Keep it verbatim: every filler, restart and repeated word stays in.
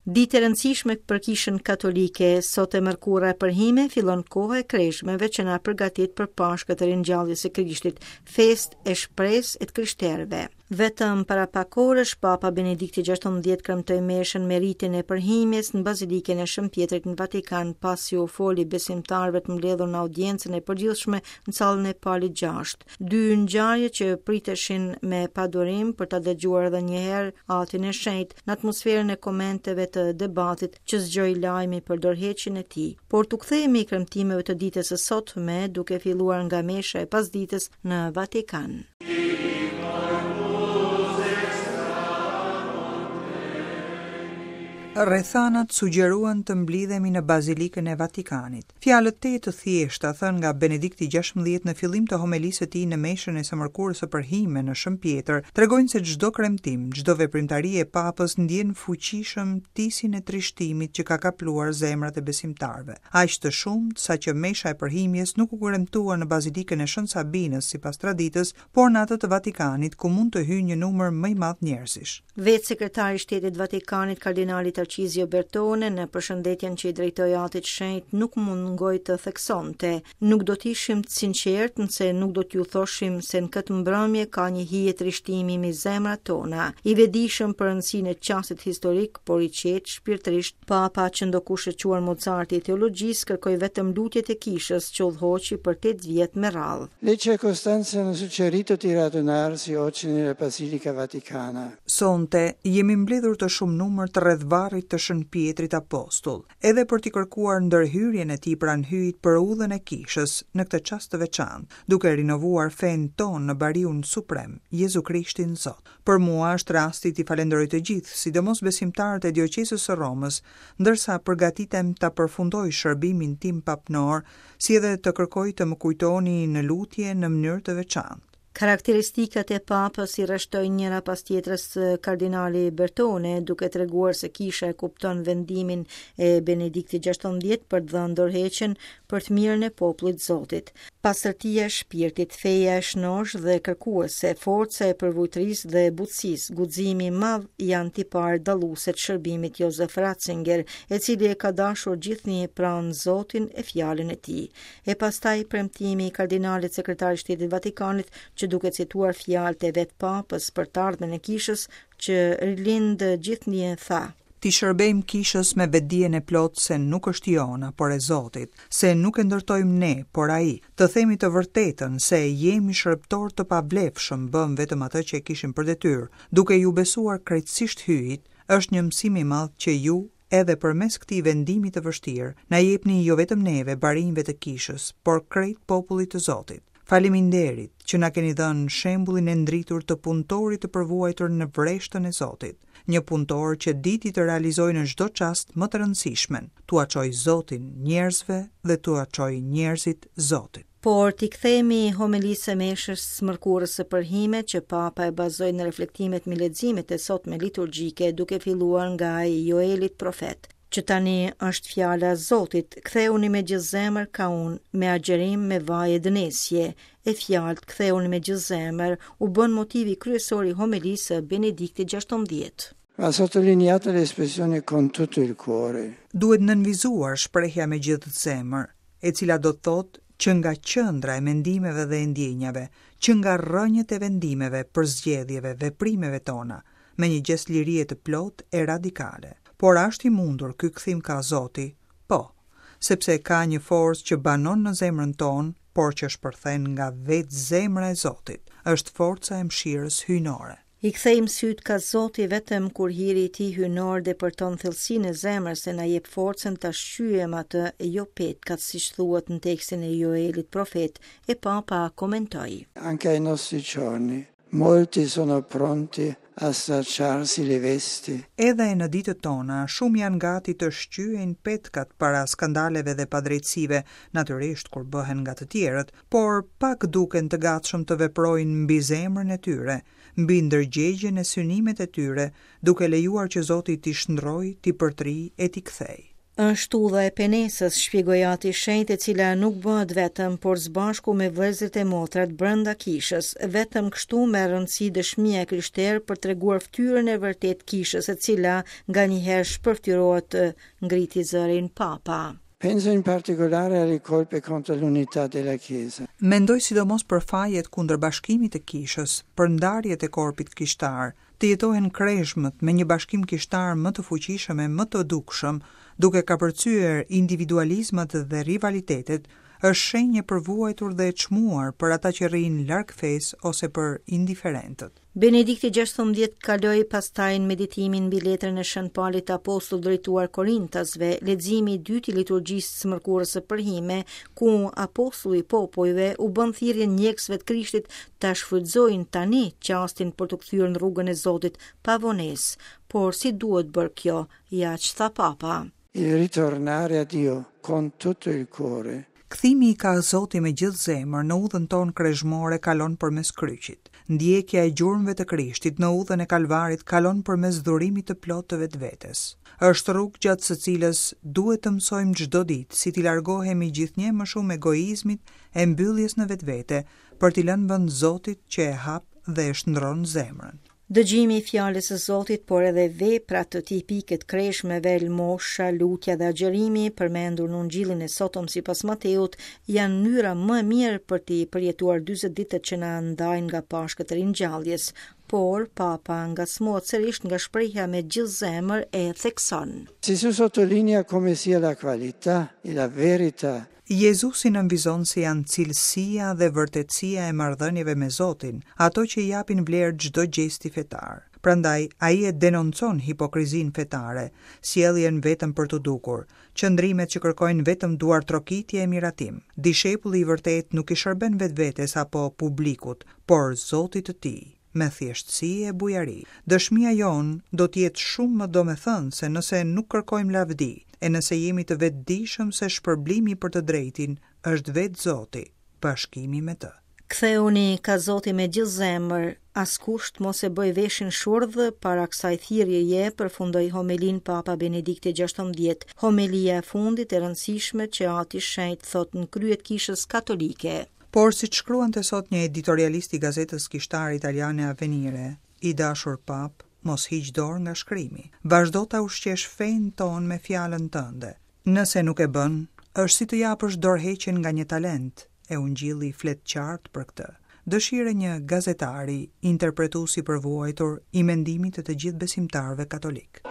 Ditë e rëndësishme për Kishën Katolike, sot e mërkura e përhime fillon koha e kreshmeve që na përgatit për Pashkët e ringjalljes së Krishtit, festë e shpresë e të krishterëve. Vetëm para pak orësh, Papa Benedikti gjashtëmbëdhjetë kremtoi meshën me ritin e përhimjes në Bazilikën e Shën Pjetrit në Vatikan, pasi u foli besimtarëve të mbledhur në audiencën e përgjithshme në sallën e Palit gjashtë. Dy ngjarje që priteshin me padurim për ta dëgjuar edhe një herë Atin e Shenjtë në atmosferën e komenteve të debatit që zgjoi lajmi për dorëheqjen e tij. Por t'u kthehemi kremtimeve të ditës së sotme, duke filluar nga mesha e pasditës në Vatikan. Rrethanat sugjeruan të mblidhemi në Bazilikën e Vatikanit. Fjalët te të thjeshta thënë nga Benedikti gjashtëmbëdhjetë në fillim të homelisë së tij në meshën e së mërkurës së përhime në Shën Pjetër, tregojnë se çdo kremtim, çdo veprimtari e papës ndjen fuqishëm tisin e trishtimit që ka kapluar zemrat e besimtarëve. Aq të shumtë sa që mesha e përhimjes nuk u kremtua në Bazilikën e Shën Sabinës sipas traditës, por në atë të Vatikanit ku mund të hyjë një numër më i madh njerëzish. Vetë sekretari i Shtetit Vatikanit, kardinali Tarcizio Bertone, në përshëndetjen që i drejtoi Atit Shenjt, nuk mungoi të theksonte: "Nuk do të ishim të sinqertë nëse nuk do t'ju thoshim se në këtë mbrëmje ka një hije trishtimi mbi zemrat tona." I vetëdijshëm për rëndësinë e çastit historik, por i qetë shpirtërisht, Papa, që ndokush e quan Mozarti i teologjisë, kërkoi vetëm lutjet e kishës që udhëhoqi për tetë vjet me radhë. Le circostanze hanno suggerito di radunarsi oggi nella Basilica Vaticana. Sonte jemi mbledhur të shumë numër të rreth varrit të Shën Pjetrit Apostull, edhe për t'i kërkuar ndërhyrjen e tij pranë Hyjit për udhën e kishës në këtë çast të veçantë, duke rinovuar fenë tonë në bariun suprem, Jezu Krishtin Zot. Për mua është rasti t'i falenderoj të gjithë, sidomos besimtarët e dioqezës së Romës, ndërsa përgatitem ta përfundoj shërbimin tim papnor, si edhe të kërkoj të më kujtoni në lutje në mënyrë të veçantë. Karakteristikat e papës i rreshtoi njëra pas tjetrës kardinali Bertone, duke treguar se kisha e kupton vendimin e Benediktit gjashtëmbëdhjetë për të dhënë dorëheqjen për të mirën e popullit Zotit. Pastërtia e shpirtit, feja e shnosh dhe kërkuese, forca e përvujtërisë dhe butësisë, guximi i madh janë tipare dalluese të shërbimit Josef Ratzinger, e cili e ka dashur gjithnjë pranë Zotin e fjalën e tij. E pastaj premtimi i kardinalit sekretar i Shtetit Vatikanit, që duke cituar fjalët e vet papës për të ardhmen e kishës, që rilind gjithnjë tha: Ti shërbejmë kishës me vetdijen e plotë se nuk është jona, por e Zotit, se nuk e ndërtojmë ne, por Ai. Të themi të vërtetën se jemi shërbëtor të pavlefshëm, bëm vetëm atë që e kishim për detyrë, duke ju besuar krejtësisht Hyjit, është një mësim i madh që ju, edhe përmes këtij vendimi të vështirë, na jepni jo vetëm neve, barinjve të kishës, por krejt popullit të Zotit. Faleminderit që na keni dhënë shembullin e ndritur të punëtorit të përvuajtur në vreshtën e Zotit, një punëtor që diti të realizojë në çdo çast më të rëndësishmen, t'ua çoj Zotin njerëzve dhe t'ua çoj njerëzit Zotit. Por t'i kthehemi homelisë së meshës së mërkurës së përhime që Papa e bazoi në reflektimet me leximet e sotme liturgjike, duke filluar nga ai i Joelit profet. Që tani është fjala e Zotit, ktheuni me gjithë zemër ka unë, me agjërim, me vaj e dënesje, e fjalët ktheuni me gjithë zemër u bën motivi kryesor i homelisë së Benediktit gjashtëmbëdhjetë. Va sottolineata l'espressione con tutto il cuore. Duhet nënvizuar shprehja me gjithë zemër, e cila do të thotë që nga qendra e mendimeve dhe e ndjenjave, që nga rrënjët e vendimeve, përzgjedhjeve, veprimeve tona, me një gjest lirie të plotë e radikale. Por a është i mundur ky kthim ka Zoti? Po, sepse ka një forcë që banon në zemrën tonë, por që shpërthen nga vetë zemra e Zotit. Është forca e mëshirës hyjnore. I kthejmë syt ka Zoti vetëm kur hiri i tij hyjnor depërton thellësinë e zemrës e na jep forcën ta shqyejmë atë e jo petkat, siç thuhet në tekstin e Joelit profet, e Papa komentoi. Anche ai nostri giorni molti sono pronti a stracciarsi le vesti. Edhe në ditët tona, shumë janë gati të shqyejnë petkat para skandaleve dhe padrejtësive, natyrisht kur bëhen nga të tjerët, por pak duken të gatshëm të veprojnë mbi zemrën e tyre, mbi ndërgjegjen e synimet e tyre, duke lejuar që Zoti t'i shndrojë, t'i përtrijë e t'i kthejë. Është udha e penesës, shpjegoi Ati i Shenjtë, e cila nuk bëhet vetëm, por së bashku me vëllezërit e motrat brenda kishës. Vetëm kështu merr rëndësi dëshmia e krishterë për treguar fytyrën e vërtetë të kishës, e cila nganjëherë shpërfytyrohet, ngriti zërin Papa. Penso in particolare alle colpe contro l'unità della Chiesa. Mendoj sidomos për fajet kundër bashkimit të kishës, për ndarjet e korpit kishtar, të jetohen kreshmët me një bashkim kishtar më të fuqishëm e më të dukshëm, duke kapërcyer individualizmat dhe rivalitetet, është shenjë e përvuajtur dhe e çmuar për ata që rrinë larg fesë ose për indiferentët. Benedikti gjashtëmbëdhjetë kaloi pastaj në meditimin mbi letrën e Shën Palit Apostull drejtuar Korintasve, leximi i dytë i liturgjisë së mërkurës së përhime, ku apostulli i popujve u bën thirrje ndjekësve të Krishtit ta shfrytëzojnë tani çastin për t'u kthyer në rrugën e Zotit pa vonesë. Por si duhet bërë kjo, ja ç'tha Papa. Il ritornare a Dio con tutto il cuore. Kthimi ka Zoti me gjithë zemër në udhën tonë kreshmore kalon përmes kryqit. Ndjekja e gjurmëve të Krishtit në udhën e Kalvarit kalon përmes dhurimit të plotë të vetvetes. Është rrugë gjatë së cilës duhet të mësojmë çdo ditë si t'i largohemi gjithnjë më shumë egoizmit e mbylljes në vetvete për t'i lënë vend Zotit që e hap dhe e shndron zemrën. Dëgjimi i fjalës së Zotit, por edhe veprat tipike të kreshmeve, lëmosha, lutja dhe agjërimi, përmendur në Ungjillin e sotëm sipas Mateut, janë mënyra më e mirë për t'i përjetuar dyzet ditët që na ndajnë nga Pashkët e ringjalljes. Por Papa ngacmohet sërish nga shprehja me gjithë zemër e thekson. Gesù sottolinea come sia la qualità e la verità. Jezusi nënvizon se janë cilësia dhe vërtetësia e marrëdhënieve me Zotin, ato që i japin vlerë çdo gjesti fetar. Prandaj ai e denoncon hipokrizinë fetare, sjelljen vetëm për t'u dukur, qëndrimet që kërkojnë vetëm duartrokitje e miratim. Dishepulli i vërtet nuk i shërben vetvetes apo publikut, por Zotit të tij, me thjeshtësi e bujari. Dëshmia jonë do të jetë shumë më domethënëse nëse nuk kërkojmë lavdi, e nëse jemi të vetëdijshëm se shpërblimi për të drejtin është vetë Zoti, bashkimi me të. Ktheuni ka Zoti me gjithë zemër, askush të mos e bëj veshin shurdh para kësaj thirrjeje, përfundoi homelin Papa Benedikti gjashtëmbëdhjetë, homelia e fundit e rëndësishme që Ati Shenjt thot në krye të Kishës Katolike. Por si të shkruante sot një editorialist i gazetës kishtare italiane Avvenire, i dashur Pap, mos hiq dorë nga shkrimi. Vazhdo ta ushqesh fenë tonë me fjalën tënde. Nëse nuk e bën, është si të japësh dorëheqjen nga një talent, e Ungjilli flet qartë për këtë. Dëshirë një gazetari, interpretues i përvuajtur i mendimit të të gjithë besimtarëve katolik.